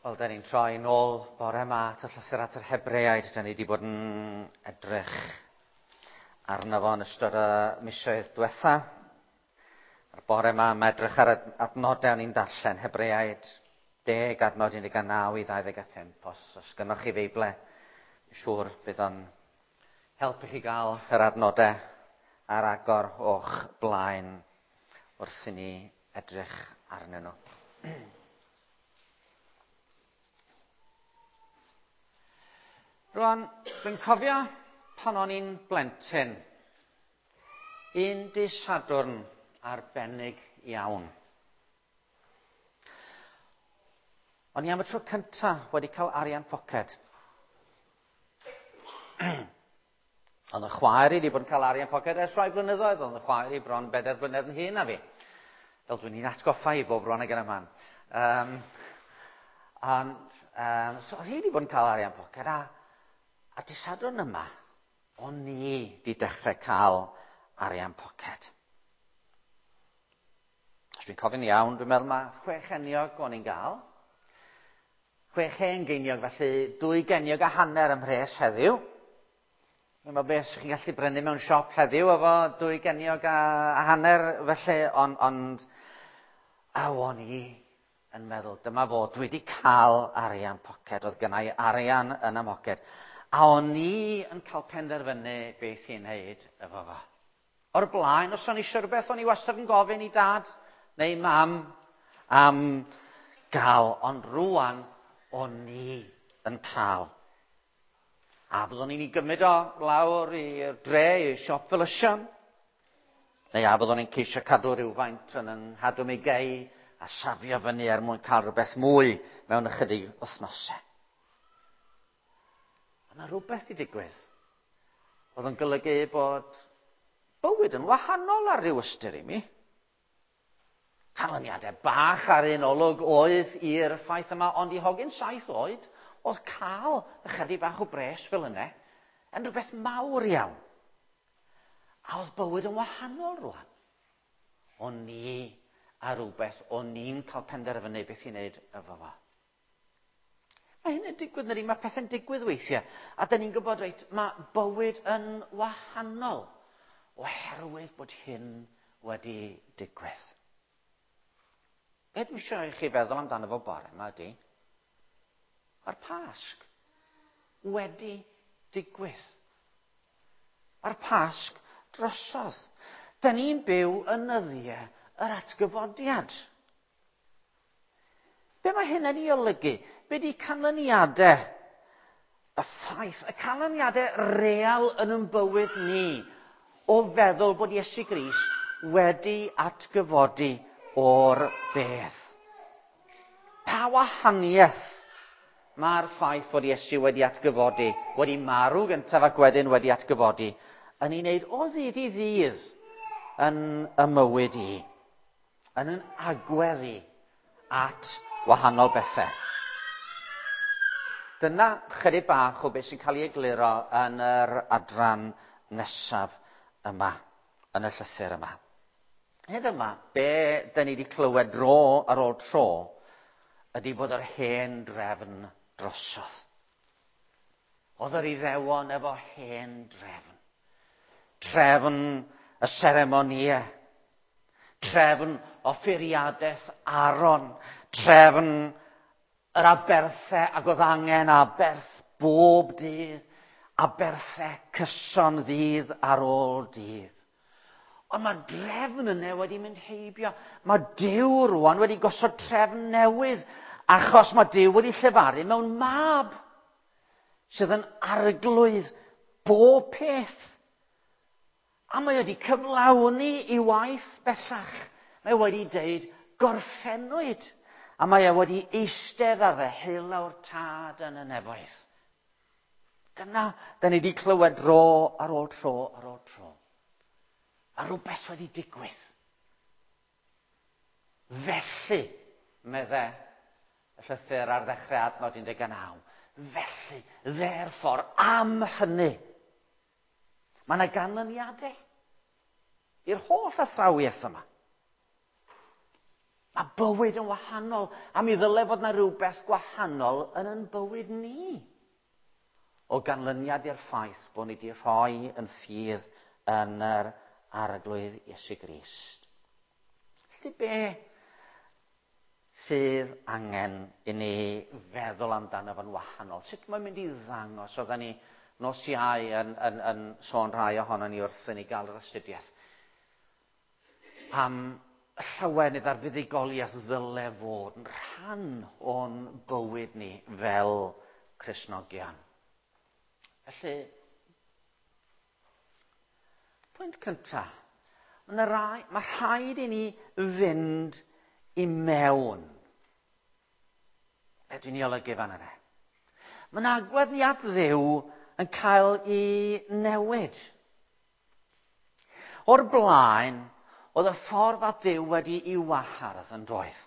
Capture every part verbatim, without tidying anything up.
Wel, da ni'n troi nôl bore yma at y llythyr at yr Hebreaid. Da ni wedi bod yn edrych arno fo yn ystod y misoedd diwetha. A'r bore yma, mae edrych ar adnodau o'n i'n darllen, Hebreaid deg adnod un deg naw i ddau ddeg a phump. Os, os gynnoch chi Feible, siŵr bydd o'n helpu chi gael yr adnodau ar agor o'ch blaen wrth i ni edrych arnyn nhw. Rwan, dwi'n cofio pan o'n i'n blentyn, un dydd Sadwrn arbennig iawn. O'n i am y tro cyntaf wedi cael arian poced. Oedd y chwaer i wedi bod yn cael arian poced ers rhai blynyddoedd, oedd y chwaer i bron bedair blynedd yn hŷn na fi. Fel dwi'n i'n atgoffa i bob bron ag yn y man. Um, and, um, so oedd hi wedi bod yn cael arian poced a A dydd Sadwrn yma, o'n i wedi dechrau cael arian poced. Os dwi'n cofio'n iawn, dwi'n meddwl mae chwe cheiniog o'n i'n gael. Chwe hen geiniog, felly dwy geiniog a hanner ym mhres heddiw. Dwi'n meddwl beth chi'n gallu brynu mewn siop heddiw efo dwy geiniog a, a hanner, felly, ond, ond a o'n i yn meddwl, dyma fo, dwi wedi cael arian poced, oedd gynna i arian yn y mhoced. A o'n i yn cael penderfynu beth i'n wneud efo fo. O'r blaen, os o'n i eisiau rhywbeth, o'n i wastad yn gofyn i dad neu mam am gael, ond rwan o'n i yn cael. A fyddwn i'n ei gymryd o lawr i'r dre, i siop Felysion, neu a fyddwn i'n ceisio cadw rhywfaint yn yng nghadw mi gei a safio fyny er mwyn cael rhywbeth mwy mewn ychydig wythnosau. A mae rhywbeth i digwydd. Oedd yn golygu bod bywyd yn wahanol ar ryw ystyr i mi. Canlyniadau bach ar un olwg oedd i'r ffaith yma, ond i hogyn saith oed, oedd cael ychydig bach o bres fel yna yn rhywbeth mawr iawn. A oedd bywyd yn wahanol rwan. O'n i a rhywbeth, o'n i'n cael penderfynu beth i wneud efo fo. Mae hyn yn digwydd, neu mae pethau'n digwydd weithiau. A da ni'n gwybod, reit, mae bywyd yn wahanol oherwydd bod hyn wedi digwydd. Be dwi eisiau i chi feddwl amdano fo bore yma ydy, mae'r Pasg wedi digwydd. Mae'r Pasg drosodd. Da ni'n byw yn nyddiau yr atgyfodiad. Be mae hyn yn ei olygu? Be di canlyniadau y ffaith, y canlyniadau real yn ein bywyd ni o feddwl bod Iesu Grist wedi atgyfodi o'r bedd? Pa wahaniaeth mae'r ffaith fod Iesu wedi atgyfodi, wedi marw gyntaf ac wedyn wedi atgyfodi, yn ei wneud o ddydd i ddydd yn y mywyd i, yn yn agwedd i at wahanol bethau? Dyna chydig bach o beth sy'n cael ei egluro yn yr adran nesaf yma, yn y llythyr yma. Hyd yma, be da ni wedi clywed dro ar ôl tro ydy bod yr hen drefn drosodd. Oedd yr Iddewon efo hen drefn. Trefn y seremonïau, trefn offeiriadaeth Aaron, trefn yr aberthau ac oedd angen aberth bob dydd, aberthau cyson ddydd ar ôl dydd. Ond mae'r drefn yna wedi mynd heibio. Mae Duw rwan wedi gosod trefn newydd, achos mae Duw wedi llefaru mewn mab sydd yn arglwydd bob peth. A mae wedi cyflawni i waith bellach. Mae wedi deud gorffennwyd. A mae e wedi eistedd ar ddeheulaw'r tad yn y nefoedd. Dyna, da ni wedi clywed dro ar ôl tro ar ôl tro. A rhywbeth wedi digwydd. Felly, medde y llythyr ar ddechrau adnod un deg naw. Felly, therefore, am hynny, mae yna ganlyniadau i'r holl athrawiaeth yma. A bywyd yn wahanol. A mi ddyle fod na rhywbeth gwahanol yn yn bywyd ni. O ganlyniad i'r ffaith bod ni wedi rhoi yn ffydd yn yr Arglwydd Iesu Grist. Felly be sydd angen i ni feddwl amdano fo'n wahanol? Sut mae'n mynd i ddangos? Oedden ni nos Iau yn, yn, yn sôn rhai ohono ni wrth i ni gael yr astudiaeth. Am llawenydd a'r fuddugoliaeth ddyle fod yn rhan o'n bywyd ni fel Cristnogion. Felly, pwynt cyntaf, mae rai, mae rhaid i ni fynd i mewn. Be dwi'n ei olygu fan yna? Mae'n agwedd ni at Dduw yn cael ei newid. O'r blaen, oedd y ffordd at Dduw wedi ei wahardd yn doedd.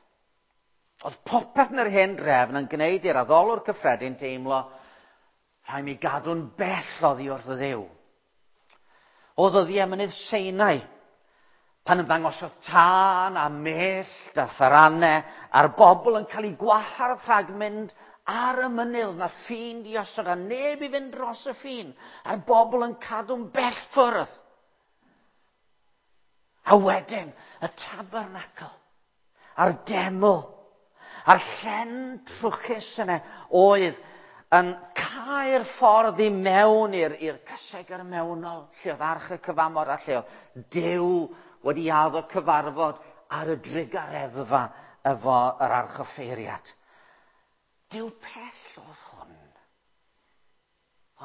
Oedd popeth yn yr hen drefn yn gwneud i'r addolwr cyffredin teimlo rhaid mi gadw'n bell oddi wrth y Dduw. Oedd ddyddiau mynydd Sinai, pan ymddangosodd tân a mellt a tharanau a'r bobl yn cael eu gwahardd rhag mynd ar y mynydd na ffin di osod a neb i fynd dros y ffin a'r bobl yn cadw'n bell ffwrdd. A wedyn y tabernacl a'r deml a'r llen trwchus yna oedd yn cau'r ffordd i mewn i'r, i'r cysegr mewnol, lle oedd arch y cyfamod a lle oedd Duw wedi addo cyfarfod ar y drugareddfa efo yr archoffeiriad. Duw pell oedd hwn.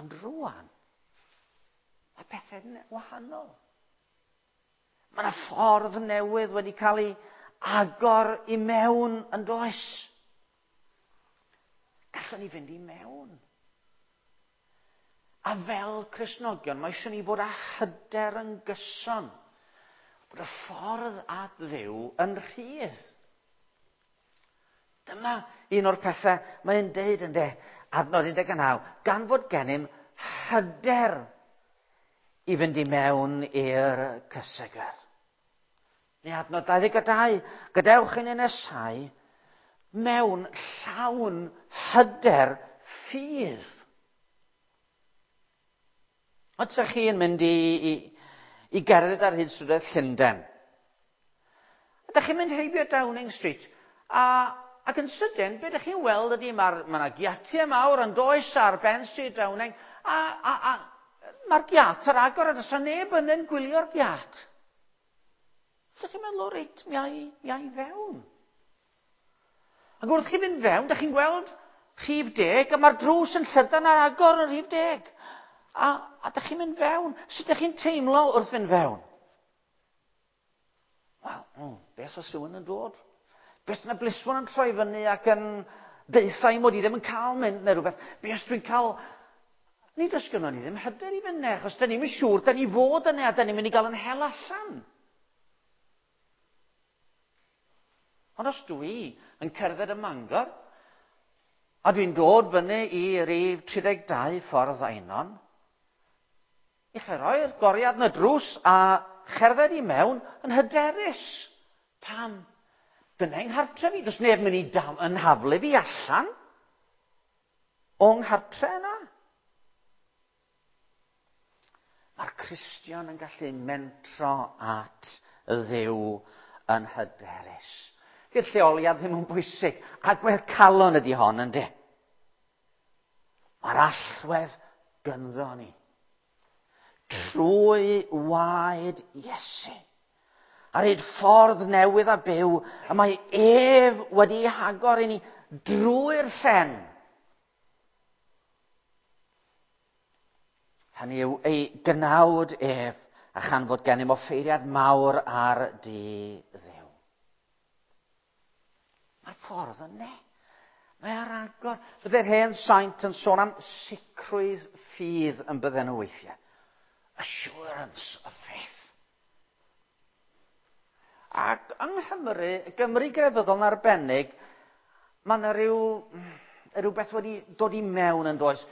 Ond rwan, mae pethau'n wahanol. Mae yna ffordd newydd wedi cael ei agor i mewn yn does. Gallwn ni fynd i mewn. A fel Cristnogion, mae eisiau ni fod â hyder yn gyson bod y ffordd at Dduw yn rhydd. Dyma un o'r pethau mae'n deud yn de, adnod un deg naw, gan fod gennym hyder i fynd i mewn i'r cysegr. Neu adnod dau ddeg dau, gadewch i ni nesau mewn llawn hyder ffydd. Ond ydych chi'n mynd i, i, i gerdded ar hyd strydoedd Llundain? Ydych chi'n mynd heibio Downing Street a, ac yn sydyn, be ydych chi'n weld ydy mae'r ma yna giatiau mawr yn does ar ben Stryd Downing a, a, a mae'r giat ar agor a does 'na neb yn yn gwylio'r giat. Ydych chi'n meddwl, o reit, mi ai, mi ai fewn. Ac wrth chi fynd fewn, ydych chi'n gweld rhif deg, a mae'r drws yn llydan ar agor yn rhif deg. A, a ydych chi'n mynd fewn. Sut ydych chi'n teimlo wrth fynd fewn? Wel, mm, beth os rhywun yn dod? Beth yna blismon yn troi fyny ac yn deutha i mod i ddim yn cael mynd neu rhywbeth? Beth os dwi'n cael... Nid oes gynnon ni ddim hyder i fynd, achos da ni'n siŵr, da ni fod yna a da ni'n mynd i gael yn hel allan. Ond os dwi yn cerdded ym Mangor, a dwi'n dod fyny i rif tri deg dau ffordd Einon, i chi roi'r goriad yn y drws a cherdded i mewn yn hyderus. Pam? Dyna yng nghartre fi. Does neb mynd i dam, yn haflu fi allan o'n nghartre yna. Mae'r Cristion yn gallu mentro at Dduw yn hyderus. Di'r lleoliad ddim yn bwysig. Agwedd calon ydy hon, yndi? Mae'r allwedd gynddo ni. Trwy waed Iesu. Ar hyd ffordd newydd a byw, y mae ef wedi ei hagor i ni drwy'r llen. Hynny yw ei gnawd ef, a chan fod gennym offeiriad mawr ar dŷ Dduw. Mae'r ffordd yna. Mae ar agor. Bydde'r hen saint yn sôn am sicrwydd ffydd yn bydden nhw weithiau. Assurance of faith. Ac yng Nghymru, Gymru grefyddol yn arbennig, mae yna rhyw, rhywbeth wedi dod i mewn yn does.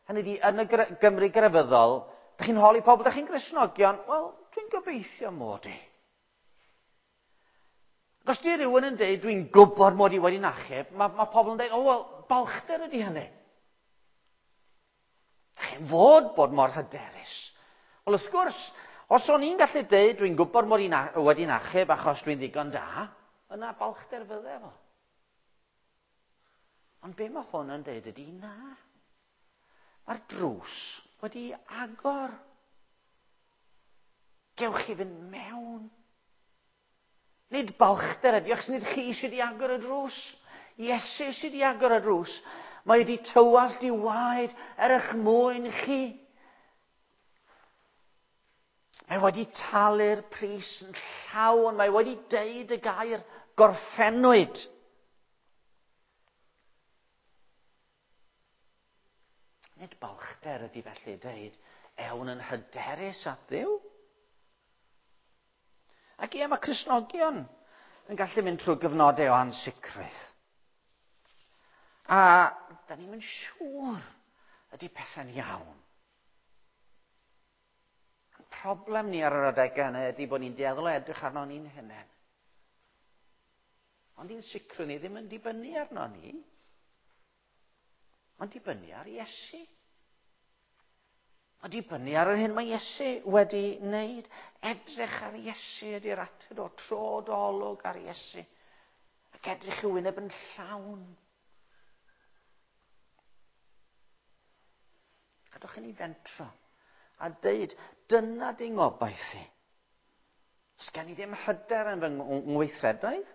Hynny ydi, yn y Gymru grefyddol, dych chi'n holi pobl, dych chi'n Gristnogion? Wel, dwi'n gobeithio mod i. Ac os di rhywun yn deud, dwi'n gwybod mod i wedi'n achub, mae, mae pobl yn deud, o, wel, balchder ydy hynny. Chi'n fod bod mor hyderus. Wel, wrth gwrs, os o'n i'n gallu deud, dwi'n gwybod mod i'n wedi'n achub achos dwi'n ddigon da, yna balchder fydde fo. Ond be mae hwn yn deud ydy na. Mae'r drws wedi agor. Gewch chi fynd mewn. Nid balchder ydy, achos nid chi sydd wedi agor y drws. Iesu sydd wedi agor y drws. Mae wedi tywallt i waed er eich mwyn chi. Mae wedi talu'r pris yn llawn. Mae wedi deud y gair gorffennwyd. Nid balchder ydy felly deud, ewn yn hyderus at Dduw. Ac ie, mae Cristnogion yn gallu mynd trwy gyfnodau o ansicrwydd. A da ni'n mynd siŵr ydy pethau'n iawn. Ein problem ni ar yr adegau yna ydy bod ni'n dueddol o edrych arno ni'n hunain. Ond i'n sicrwydd ni ddim yn dibynnu arno ni. Ond dibynnu ar Iesu. Ond dibynnu ar yr hyn mae Iesu wedi wneud. Edrych ar Iesu ydy'r ateb o tro dolwg ar Iesu. Ac edrych i'w wyneb yn llawn. Gadwch i ni fentro a deud, dyna di ngobaith i. Sgen i ddim hyder yn fy ngweithredoedd.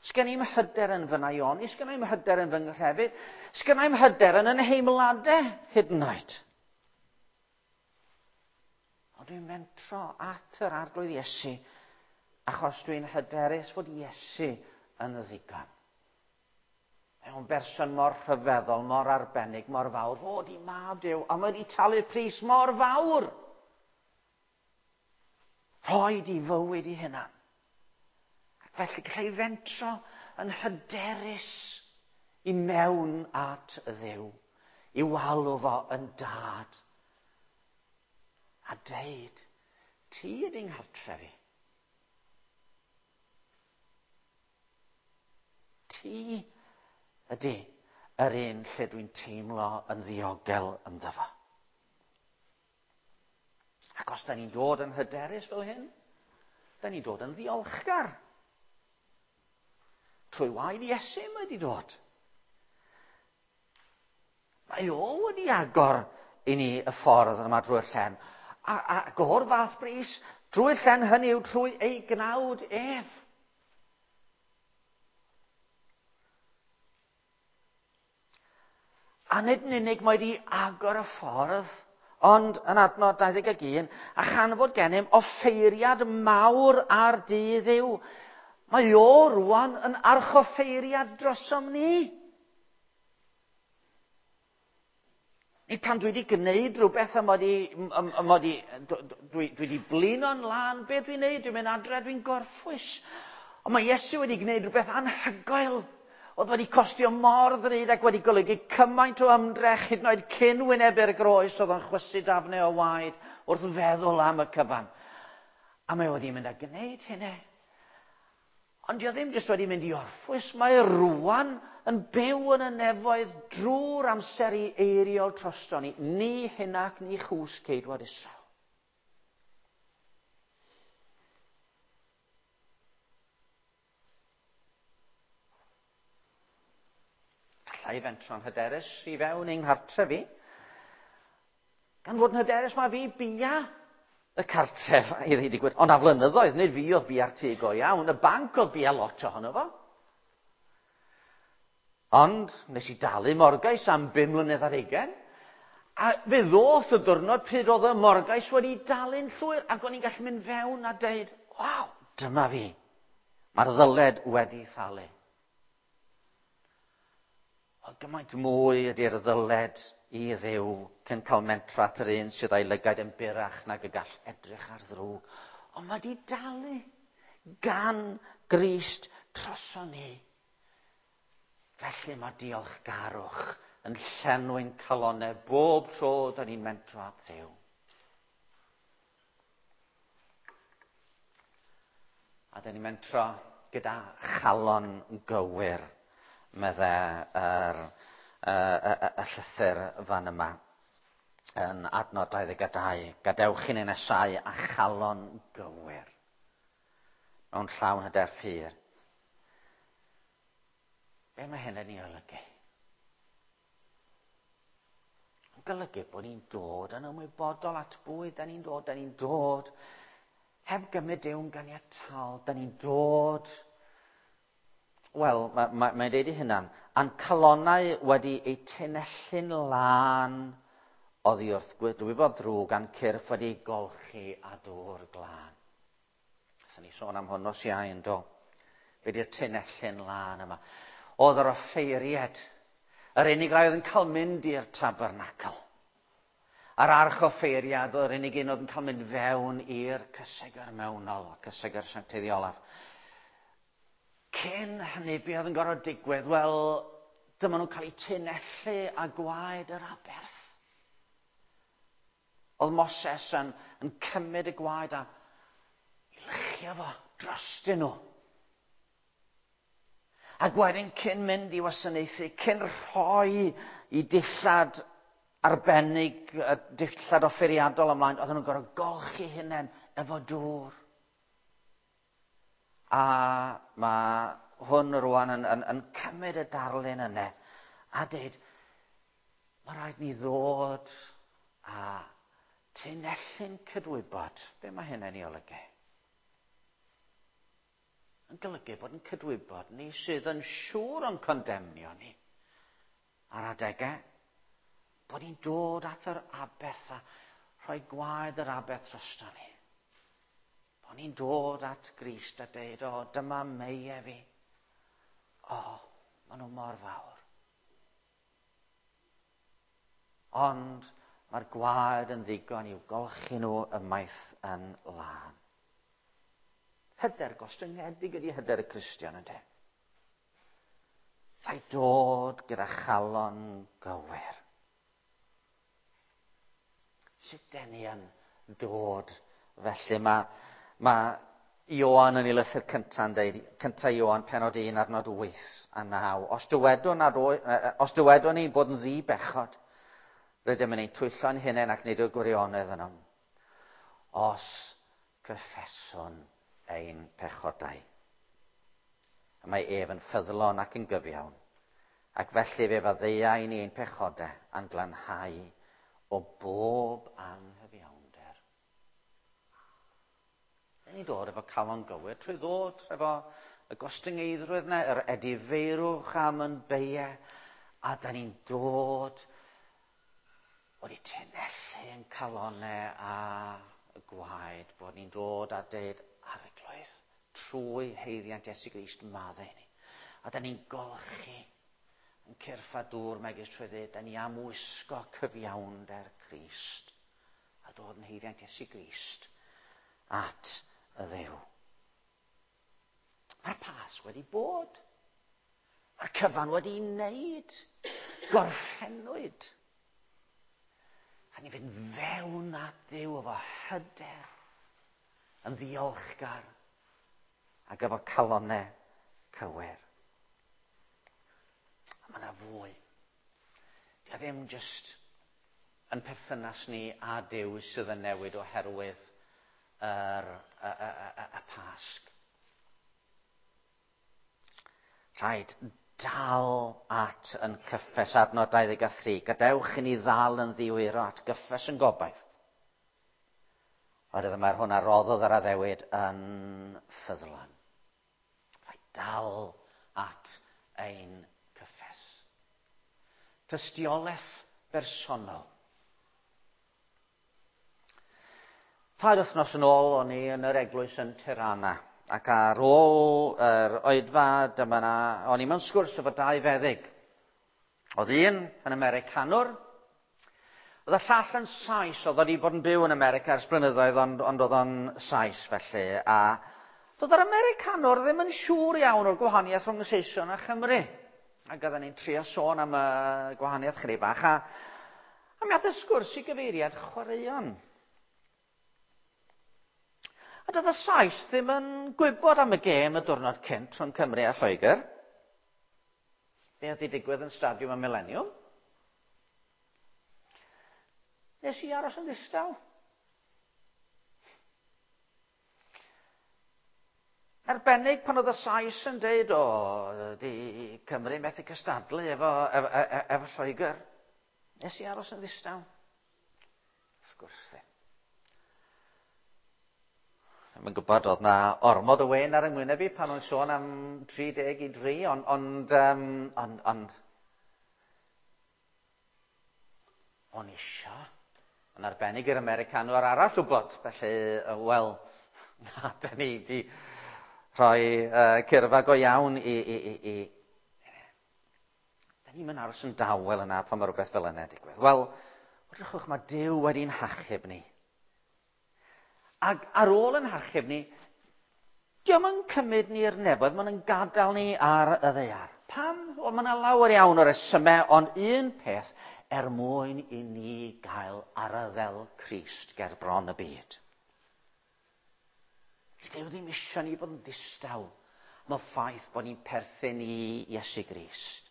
Sgen i'm hyder yn fy naioni, sgen i'm hyder yn fy nghrefydd, sgen i'm hyder yn yn nheimladau hyd yn oed. Ond dwi'n mentro at yr Arglwydd Iesu, achos dwi'n hyderus fod Iesu yn ddigon. Mae o'n berson mor rhyfeddol, mor arbennig, mor fawr, fod i mab Duw, a mae wedi talu pris mor fawr. Rhoed i fywyd i hunan. Felly gallai fentro yn hyderus i mewn at Dduw, i walw fo yn dad. A deud, ti ydy'n nghartref i. Ti ydy yr un lle dwi'n teimlo yn ddiogel ynddo fo. Ac os da ni'n dod yn hyderus fel hyn, da ni'n dod yn ddiolchgar. Trwy waed Iesu mae wedi dod. Mae o wedi agor i ni y ffordd yma drwy'r llen. A, ac o'r fath bris, drwy'r llen hynny yw trwy ei gnawd ef. A nid yn unig mae wedi agor y ffordd, ond yn adnod dau ddeg ac un, a chan fod gennym offeiriad mawr ar dŷ Dduw. Mae o rwan yn archoffeiriad drosom ni. Nid pan dwi wedi gwneud rhywbeth a mod i, mod i, dwi, dwi wedi blino'n lân, be dwi'n gwneud? Dwi'n mynd adre, dwi'n gorffwys. Ond mae Iesu wedi gwneud rhywbeth anhygoel. Oedd wedi costio mor ddrud ac wedi golygu cymaint o ymdrech hyd yn oed cyn wynebu'r groes oedd o'n chwysu dafnau o waed wrth feddwl am y cyfan. A mae wedi mynd a gwneud hynny. Ond dio ddim jyst wedi mynd i orffwys, mae rwan yn byw yn y nefoedd drwy'r amser i eiriol drosto ni. Ni hynac ni chws ceidwad Israel. Alla i fentro'n hyderus i fewn i'n nghartref fi. Gan fod yn hyderus mae fi bia y cartref i ddweud y gwir. Ond a flynyddoedd, nid fi oedd bia'r tŷ go iawn, y banc oedd bia lot ohono fo. Ond nes i dalu morgais am bum mlynedd ar hugain, a fe ddoth y diwrnod pryd oedd y morgais wedi dalu'n llwyr, ac o'n i'n gallu mynd fewn a deud, waw, dyma fi. Mae'r ddyled wedi thalu. Ond gymaint mwy ydy'r ddyled i Dduw cyn cael mentro at yr un sydd â'i lygaid yn burach nag y gall edrych ar ddrwg. Ond mae di dalu gan Grist droson ni. Felly mae diolchgarwch yn llenwi'n calonnau bob tro da ni'n mentro at Dduw. A da ni'n mentro gyda chalon gywir, medde yr, y, y, y, y llythyr fan yma yn adnod dau ddeg dau. Gadewch i ni nesau a chalon gywir mewn llawn hyder ffydd. Be mae hyn yn ei olygu? Yn golygu bod ni'n dod yn ymwybodol at bwy da ni'n dod, da ni'n dod heb gymryd Duw'n ganiataol, da ni'n dod. Wel, mae'n ma, ma deud ei hunan, a'n calonnau wedi eu tynellu'n lân oddi wrth gwybod ddrwg a'n cyrff wedi ei golchi â dŵr glân. Nathon ni sôn am hwn nos Iau yn do. Be di'r tynellu'n lân yma? Oedd yr offeiried, yr unig rai oedd yn cael mynd i'r tabernacl. A'r arch offeiriad oedd yr unig un oedd yn cael mynd fewn i'r cysegr mewnol, cysegr sancteidd olaf. Cyn hynny, be oedd yn gorfod digwydd? Wel, dyma nhw'n cael eu tynellu â gwaed yr aberth. Oedd Moses yn, yn cymryd y gwaed a i luchio fo drostyn nhw. Ac wedyn cyn mynd i wasanaethu, cyn rhoi i dillad arbennig, dillad offeiriadol ymlaen, oedden nhw'n gorfod golchi hunain efo dŵr. A mae hwn rwan yn, yn, yn cymryd y darlun yna a dweud, mae rhaid ni ddod a tynellu'n cydwybod. Be mae hynny'n ei olygu? Yn golygu bod yn cydwybod ni sydd yn siŵr o'n condemnio ni ar adegau, bod ni'n dod at yr aberth a rhoi gwaed yr aberth drosto ni. Bod ni'n dod at Grist a deud, o, dyma meie fi. O, maen nhw mor fawr. Ond mae'r gwaed yn ddigon i'w golchi nhw ymaith yn lân. Hyder gostyngedig ydy hyder y Cristion, yndê? Rhaid dod gyda chalon gywir. Sut den ni yn dod felly? Mae, mae Ioan yn ei lythyr cynta'n deud, cynta Ioan penod un adnod wyth a naw. Os dywedwn, nad o, os dywedwn ni bod yn ddi-bechod, rydym yn ein twyllo'n hunain ac nid yw'r gwirionedd ynom. Os cyffeswn ein pechodau. A mae ef yn ffyddlon ac yn gyfiawn, ac felly fe faddeuai ni ein pechodau a'n glanhau o bob anghyfiawnder. Dyn ni'n dod efo calon gywir trwy ddod efo y gostyngeiddrwydd yna, yr edifeirwch am yn beiau, a da ni'n dod wedi tynellu yn calonau a y gwaed, bod ni'n dod a deud, Arglwydd, trwy haeddiant Iesu Grist maddau ni. A da ni'n golchi yn cyrff a dŵr megis trwy ddweud, da ni am wisgo cyfiawnder Crist a dod yn haeddiant Iesu Grist at y Dduw. Mae'r Pasg wedi bod. Mae'r cyfan wedi wneud. Gorffennwyd. A ni fynd fewn at Dduw efo hyder, yn ddiolchgar, ac efo calonnau cywir. A mae yna fwy. Dio ddim jyst yn perthynas ni a Duw sydd yn newid oherwydd yr, y, y, y, y Pasg. Rhaid dal at yn cyffes adnod dau ddeg a thri. Gadewch i ni ddal yn ddiwyro at gyffes yn gobaith. Oherwydd mae'r hwn a roddodd yr addewid yn ffyddlon. Rhaid dal at ein cyffes. Tystiolaeth bersonol. Tair wythnos yn ôl o'n i yn yr eglwys yn Tirana, ac ar ôl yr oedfa dyma na, o'n i mewn sgwrs efo dau feddyg. Oedd un yn Americanwr, oedd y llall yn Sais, oedd wedi bod yn byw yn America ers blynyddoedd, ond, ond oedd o'n Sais felly. A doedd yr Americanwr ddim yn siŵr iawn o'r gwahaniaeth rhwng y Saeson a Chymru. Ac oedden ni'n trio sôn am y gwahaniaeth chydig bach. A, a mi ath y sgwrs i gyfeiriad chwaraeon. A A doedd y Sais ddim yn gwybod am y gêm y diwrnod cynt rhwng Cymru a Lloegr. Be oedd wedi digwydd yn Stadiwm y Millennium? Nes i aros yn ddistaw. Arbennig pan oedd y Sais yn deud, o, di Cymru methu cystadlu efo, efo, efo, efo Lloegr. Nes i aros yn ddistaw. Wrth gwrs ddim. Ddim yn gwybod, oedd na ormod o wen ar yng ngwyneb i pan o'n sôn am tri deg i dri, ond, ond, um, ond, ond, o'n isio, yn arbennig i'r Americanwr arall wybod, felly, wel, na, da ni di rhoi uh, cyrfa go iawn i, i, i, i. Da ni'n mynd aros yn dawel yna pan mae rhywbeth fel yna digwydd. Wel, wrthwch, mae Duw wedi'n hachub ni. Ac ar ôl yn hachub ni, dio'm yn cymryd ni i'r nefoedd, mae'n gadael ni ar y ddaear. Pam? Wel, mae yna lawer iawn o resymau, ond un peth er mwyn i ni gael arddel Crist ger bron y byd. Duw ddim eisiau ni fod yn ddistaw am y ffaith bod ni'n perthyn i Iesu Grist.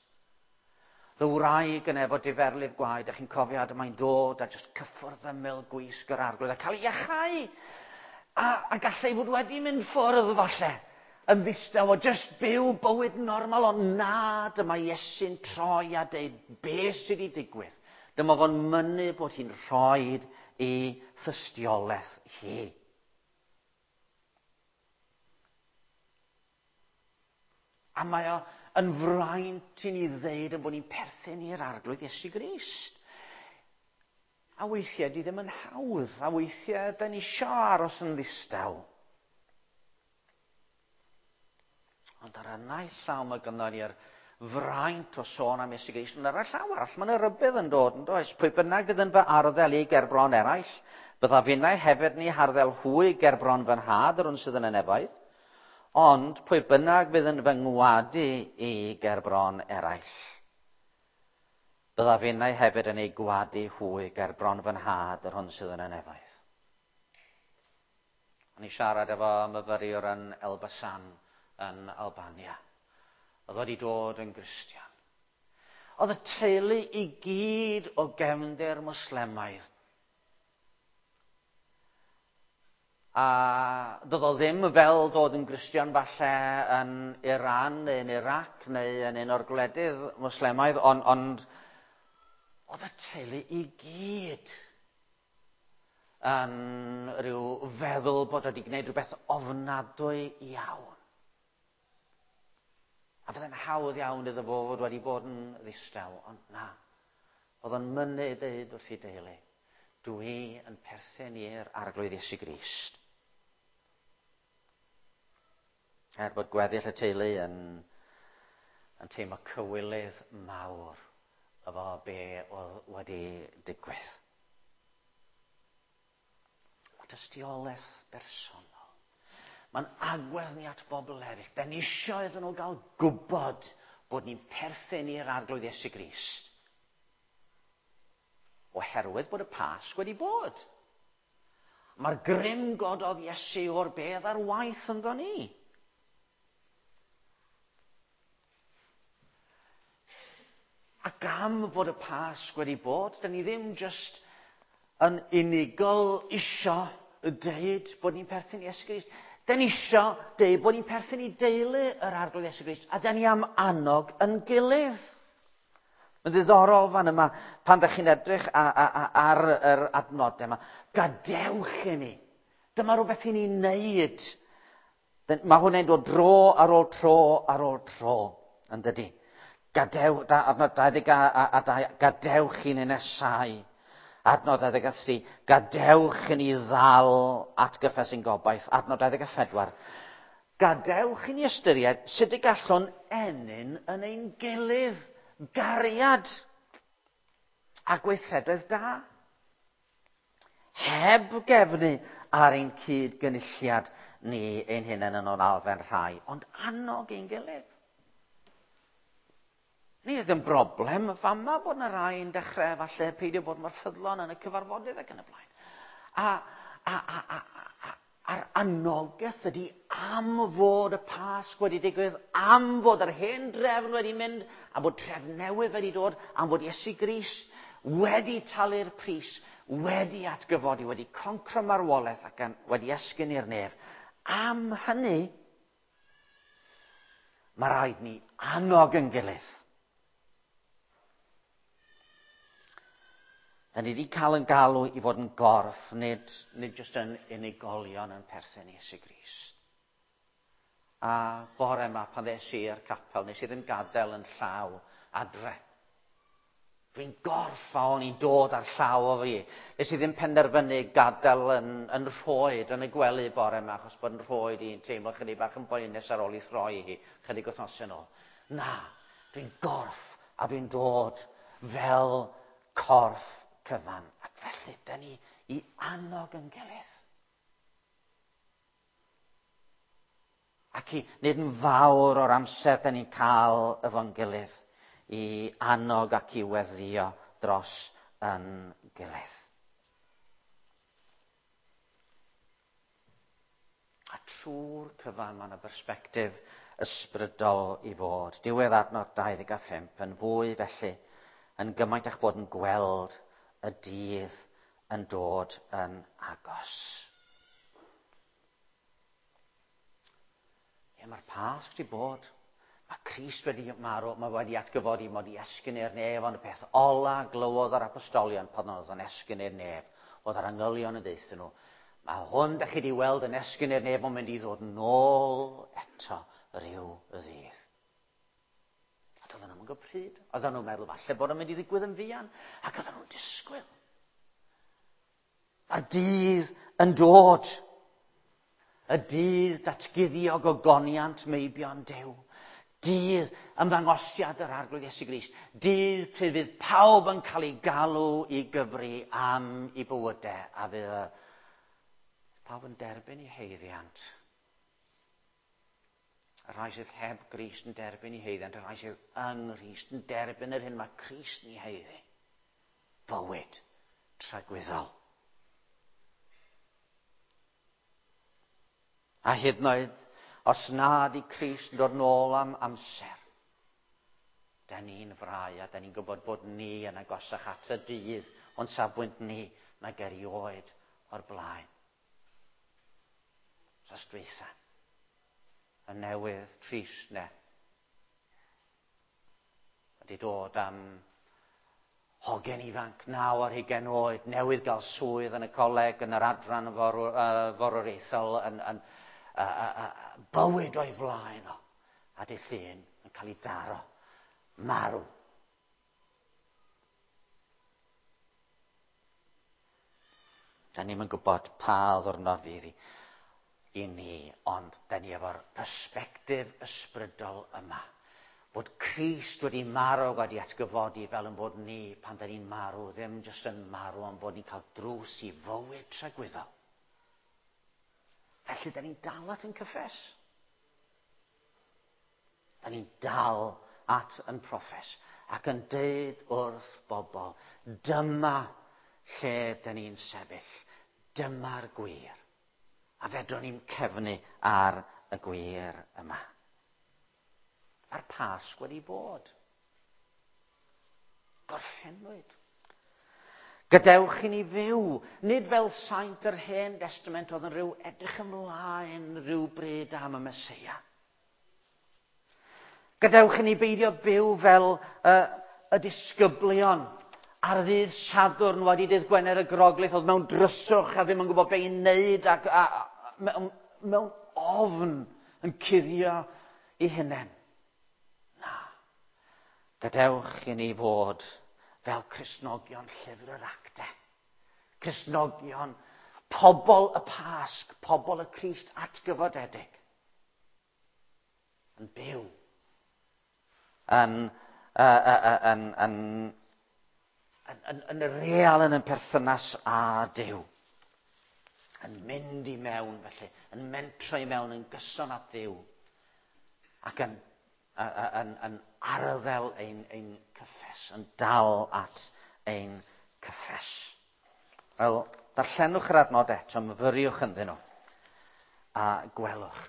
Y wraig yn efo diferlif gwaed, a chi'n cofio, a mae'n dod a jyst cyffwrdd ymyl gwisg yr Arglwydd a cael ei iachau. A, a gallai fod wedi mynd ffwrdd falle, yn ddistaw o jyst byw bywyd normal, ond na, dyma Iesu'n troi a deud be sydd wedi digwydd. Dyma fo'n mynnu bod hi'n rhoid i thystiolaeth hi. A mae o yn fraint i ni ddeud yn bod ni'n perthyn i'r Arglwydd Iesu Grist. A weithiau di ddim yn hawdd, a weithiau da ni isio aros yn ddistaw. Ond ar y naill llaw mae gynnon ni'r fraint o sôn am Iesu Grist, ond ar y llaw arall mae yna rybudd yn dod, yn does? Pwy bynnag fydd yn fy arddel i gerbron eraill, byddaf finnau hefyd ni harddel hwy gerbron fy nhad, yr un sydd yn y nefoedd. Ond pwy bynnag fydd yn fy ngwadu i gerbron eraill, byddaf finnau hefyd yn ei gwadu hwy gerbron fy nhad, yr hwn sydd yn y nefoedd. O'n i siarad efo myfyriwr yn Elbasan yn Albania. Oedd wedi dod yn Gristion. Oedd y teulu i gyd o gefndir Mwslemaidd. A doedd o ddim fel dod yn Gristion falle yn Iran neu yn Iraq neu yn un o'r gwledydd Mwslemaidd, ond, ond oedd y teulu i gyd yn rhyw feddwl bod wedi gwneud rhywbeth ofnadwy iawn. A fydde'n hawdd iawn iddo fo fod wedi bod yn ddistaw, ond na. Oedd o'n mynnu deud wrth ei deulu, dwi yn perthyn i'r Arglwydd Iesu Grist. Er bod gweddill y teulu yn, yn teimlo cywilydd mawr efo be oedd wedi digwydd. Mae tystiolaeth bersonol. Mae'n agwedd ni at bobl eraill. Da ni isio iddyn nhw gael gwybod bod ni'n perthyn i'r Arglwydd Iesu Grist. Oherwydd bod y Pasg wedi bod. Mae'r grym gododd Iesu o'r bedd ar waith ynddo ni. Ac am fod y Pasg wedi bod, da ni ddim jyst yn unigol isio deud bod ni'n perthyn i Iesu Grist. Da ni isio deud bod ni'n perthyn i deulu yr Arglwydd Iesu Grist, a da ni am annog yn gilydd. Mae'n ddiddorol fan yma, pan ddech chi'n edrych ar yr adnodau yma, gadewch i ni. Dyma rhywbeth i ni wneud. Mae hwnna'n dod dro ar ôl tro ar ôl tro, yn dydi? Gadewch, adnod dau ddeg a dau, gadewch i ni nesau. Adnod dau ddeg a thri, gadewch i ni ddal at gyffes ein gobaith. Adnod dau ddeg a phedwar, gadewch i ni ystyried sut y gallwn ennyn yn ein gilydd gariad a gweithredoedd da. Heb gefnu ar ein cyd-gynulliad ni ein hunain yn o'n arfer rhai, ond annog ein gilydd. Nid yn broblem fama bod yna rai yn dechrau falle peidio bod mor ffyddlon yn y cyfarfodydd ac yn y blaen. A, a, a, a, a, a'r anogaeth ydy am fod y Pasg wedi digwydd, am fod yr hen drefn wedi mynd, am fod trefn newydd wedi dod, am fod Iesu Grist wedi talu'r pris, wedi atgyfodi, wedi concro marwolaeth ac wedi esgyn i'r nef. Am hynny, mae rhaid ni annog yn gilydd. Da ni wedi cael yn galw i fod yn gorff, nid, nid jyst yn unigolion yn perthyn i Iesu Grist. A bore yma pan ddes i i'r capel, nes i ddim gadael yn llaw adre. Dwi'n gorff a o'n i'n dod ar llaw o fi. Nes i ddim penderfynu gadael yn, yn rhoed yn y gwely bore yma, achos bod yn rhoed i'n teimlo chydig bach yn boenus ar ôl i throi hi chydig wythnosau nôl. Na, dwi'n gorff a dwi'n dod fel corff cyfan. Ac felly, da ni i annog yn gilydd. Ac i wneud yn fawr o'r amser da ni'n cael efo'n gilydd i annog ac i weddio dros yn gilydd. A trwy'r cyfan mae yna bersbectif ysbrydol i fod. Diwedd adnod dau ddeg a phump yn fwy felly, yn gymaint eich bod yn gweld y dydd yn dod yn agos. Ie, mae'r Pasg wedi bod. Mae Crist wedi marw, mae wedi atgyfodi, mae wedi esgyn i'r nef, ond y peth ola glywodd yr apostolion pan oedd yn esgyn i'r nef, oedd yr angylion yn deuthyn nhw. Mae hwn da chi wedi weld yn esgyn i'r nef, mae'n mynd i ddod nôl eto rhyw ddydd. A doedden nhw'n gwybod pryd. Oedden nhw'n meddwl falle bod o'n mynd i ddigwydd yn fuan, ac oedden nhw'n disgwyl. Mae'r dydd yn dod. Y dydd datguddio gogoniant meibion Duw. Dydd ymddangosiad yr Arglwydd Iesu Grist. Dydd pryd fydd pawb yn cael ei galw i gyfri am ei bywydau, a fydd pawb yn derbyn ei haeddiant. Y rhai sydd heb Grist yn derbyn ei haeddiant, y rhai sydd yng Nghrist yn derbyn yr hyn mae Crist yn ei haeddu. Bywyd tragwyddol. A hyd yn oed, os nad i Crist yn dod nôl am amser, da ni'n frau a da ni'n gwybod bod ni yn agosach at y dydd o'n safbwynt ni nag erioed o'r blaen. Dros dweitha, y newydd trist ne, wedi dod am hogen ifanc, naw ar hugain oed, newydd gael swydd yn y coleg, yn yr adran forwr, uh, forwriaethol, yn, yn uh, uh, uh, bywyd o'i flaen o, a dy llun yn cael ei daro, marw. Da ni'm yn gwybod pa ddwrnod fydd i, i ni, ond da ni efo'r persbectif ysbrydol yma. Bod Crist wedi marw wedi atgyfodi fel yn bod ni pan da ni'n marw, ddim jyst yn marw, ond bod ni'n cael drws i fywyd tragwyddol. Felly, da ni'n dal at yn cyffes. Da ni'n dal at yn proffes ac yn deud wrth bobl, dyma lle da ni'n sefyll, dyma'r gwir. A fedrwn ni'n cefnu ar y gwir yma. Mae'r Pasg wedi bod. Gorffennwyd. Gadewch i ni fyw, nid fel saint yr Hen Testament oedd yn rhyw edrych ymlaen rhyw bryd am y Meseia. Gadewch i ni beidio byw fel uh, y disgyblion ar ddydd Sadwrn wedi dydd Gwener y Groglith oedd mewn dryswch a ddim yn gwybod be i wneud ac a, a, mewn, mewn ofn yn cuddio i hunain. Na. Gadewch i ni fod fel Cristnogion llyfr yr Actau. Cristnogion, pobl y Pasg, pobl y Crist atgyfodedig. Yn byw. Yn, uh, uh, yn, yn, yn, yn, yn real yn y perthynas â Duw. Yn mynd i mewn felly, yn mentro i mewn yn gyson at Dduw. Ac yn yn, yn arddel ein, ein cyffes, yn dal at ein cyffes. Wel, darllenwch yr adnod eto, myfyriwch ynddyn nhw. A gwelwch,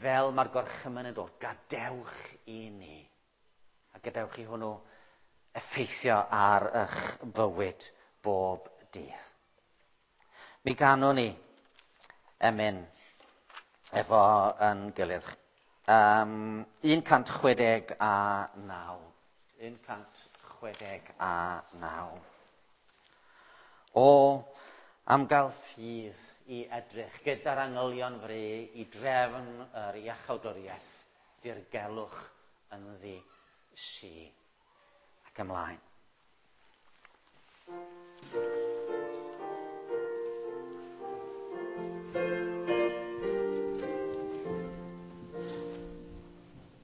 fel mae'r gorchymyn yn dod, gadewch i ni. A gadewch i hwnnw effeithio ar eich bywyd bob dydd. Mi ganwn ni emyn efo yn gilydd. Um, un cant chwe deg a naw. un cant chwe deg a naw. O, am gael ffydd i edrych gyda'r angylion fru i drefn yr iachawdwriaeth, dirgelwch ynddi si. Ac ymlaen.